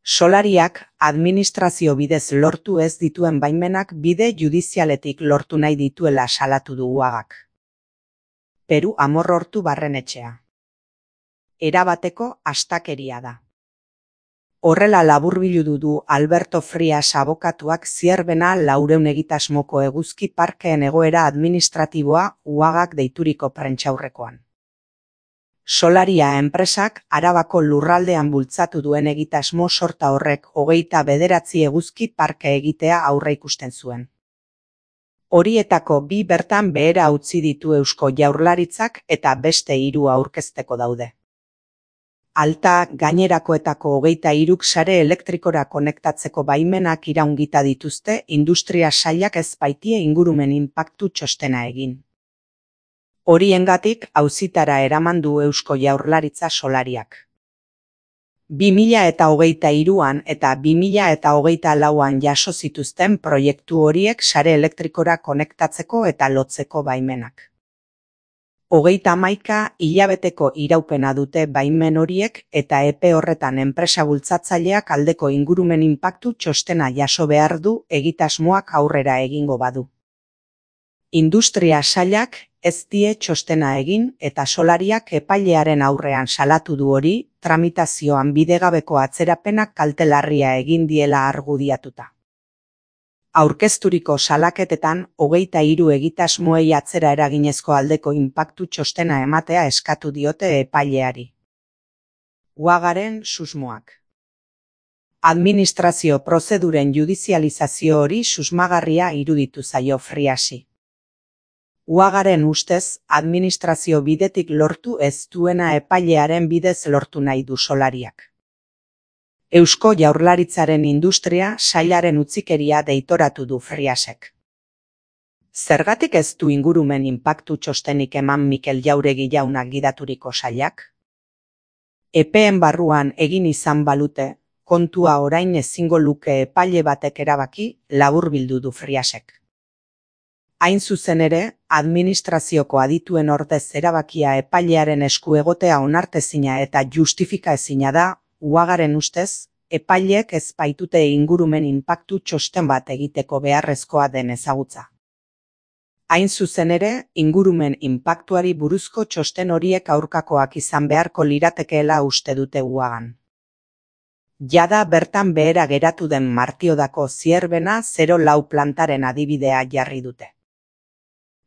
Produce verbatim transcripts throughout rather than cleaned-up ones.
Solariak administrazio bidez lortu ez dituen baimenak bide judizialetik lortu nahi dituela salatu du Uagak. Peru Amorrortu barrenetxea. Erabateko astakeria da. Horrela laburbildu du Alberto Frias abokatuak Zierbena laurehun egitasmoko eguzki parkeen egoera administratiboa Uagak deituriko prentsaurrekoan. Solaria enpresak Arabako lurraldean bultzatu duen egitasmo sorta horrek hogeita bederatzi eguzki parke egitea aurreikusten zuen. Horietako bi bertan behera utzi ditu Eusko Jaurlaritzak eta beste hiru aurkezteko daude. Alta gainerakoetako hogeita hiruk sare elektrikora konektatzeko baimenak iraungita dituzte industria sailak ez baitie ingurumen inpaktu txostena egin. Horiengatik auzitara eraman du Eusko Jaurlaritza Solariak. bi mila eta hogeita hiruan eta bi mila eta hogeita lauan jaso zituzten proiektu horiek sare elektrikora konektatzeko eta lotzeko baimenak. Hogeita hamaika hilabeteko iraupena dute baimen horiek eta epe horretan enpresa bultzatzaileak aldeko ingurumen inpaktu txostena jaso behar du egitasmoak aurrera egingo badu. Industria sailak ez die txostena egin eta Solariak epailearen aurrean salatu du hori, tramitazioan bidegabeko atzerapenak kalte larria egin diela argudiatuta. Aurkezturiko salaketetan hogeita hiru egitasmoei atzera eraginezko aldeko inpaktu txostena ematea eskatu diote epaileari. Uagaren susmoak. Administrazio prozeduren judizializazio hori susmagarria iruditu zaio Friasi. Uagaren ustez, administrazio bidetik lortu ez duena epailearen bidez lortu nahi du Solariak. Eusko Jaurlaritzaren industria sailaren utzikeria deitoratu du Friasek. Zergatik ez du ingurumen inpaktu txostenik eman Mikel Jauregi jaunak gidaturiko sailak? Epeen barruan egin izan balute, kontua orain ezingo luke epaile batek erabaki, laburbildu du Friasek. Hain zuzen ere, administrazioko adituen ordez erabakia epailearen esku egotea onartezina eta justifikaezina da, Uagaren ustez, epaileek ez baitute ingurumen inpaktu txosten bat egiteko beharrezkoa den ezagutza. Hain zuzen ere, ingurumen inpaktuari buruzko txosten horiek aurkakoak izan beharko liratekeela uste dute Uagan. Jada bertan behera geratu den Martiodako Zierbena zero lau plantaren adibidea jarri dute.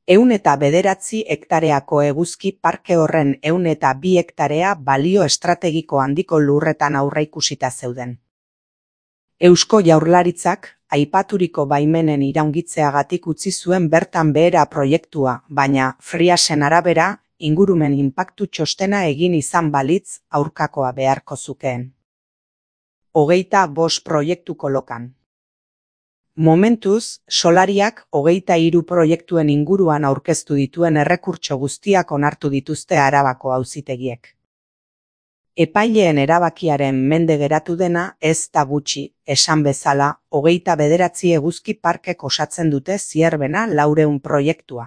Ehun eta bederatzi hektareako eguzki parke horren ehun eta bi hektarea balio estrategiko handiko lurretan aurreikusita zeuden. Eusko Jaurlaritzak aipaturiko baimenen iraungitzeagatik utzi zuen bertan behera proiektua, baina Friasen arabera ingurumen inpaktu txostena egin izan balitz aurkakoa beharko zukeen. Hogeita bost proiektuko lokan. Momentuz, Solariak hogeita hiru proiektuen inguruan aurkeztu dituen errekurtso guztiak onartu dituzte Arabako auzitegiek. Epaileen erabakiaren mende geratu dena ez da gutxi, esan bezala, hogeita bederatzi eguzki parkek osatzen dute Zierbena laurehun proiektua.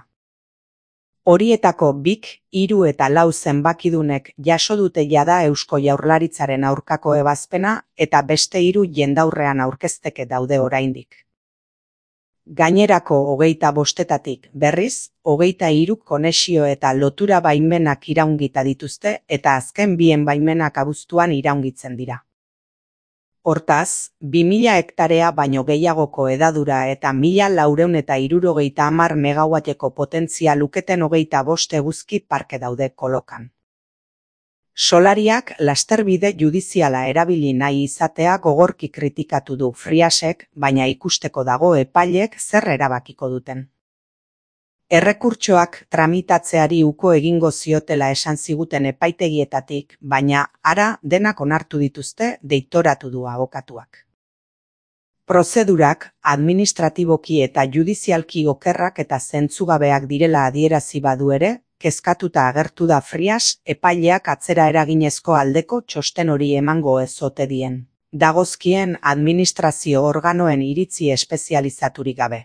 Horietako bik, hiru eta lau zenbakidunek jaso dute jada Eusko Jaurlaritzaren aurkako ebazpena eta beste hiru jendaurrean aurkezteke daude oraindik. Gainerako hogeita bostetatik berriz, hogeita hiruk konexio eta lotura baimenak iraungita dituzte eta azken bien baimenak abuztuan iraungitzen dira. Hortaz, bi mila hektarea baino gehiagoko hedadura eta mila laurehun eta hirurogeita hamar megawatteko potentzia luketen hogeita bost eguzki parke daude kolokan. Solariak lasterbide judiziala erabili nahi izatea gogorki kritikatu du Friasek, baina ikusteko dago epaileek zer erabakiko duten. Errekurtsoak tramitatzeari uko egingo ziotela esan ziguten epaitegietatik, baina ara denak onartu dituzte deitoratu du abokatuak. Prozedurak administratiboki eta judizialki okerrak eta zentzugabeak direla adierazi badu ere, kezkatuta agertu da Frias epaileak atzera eraginezko aldeko txosten hori emango ez ote dien. Dagozkien administrazio organoen iritzi espezializaturik gabe.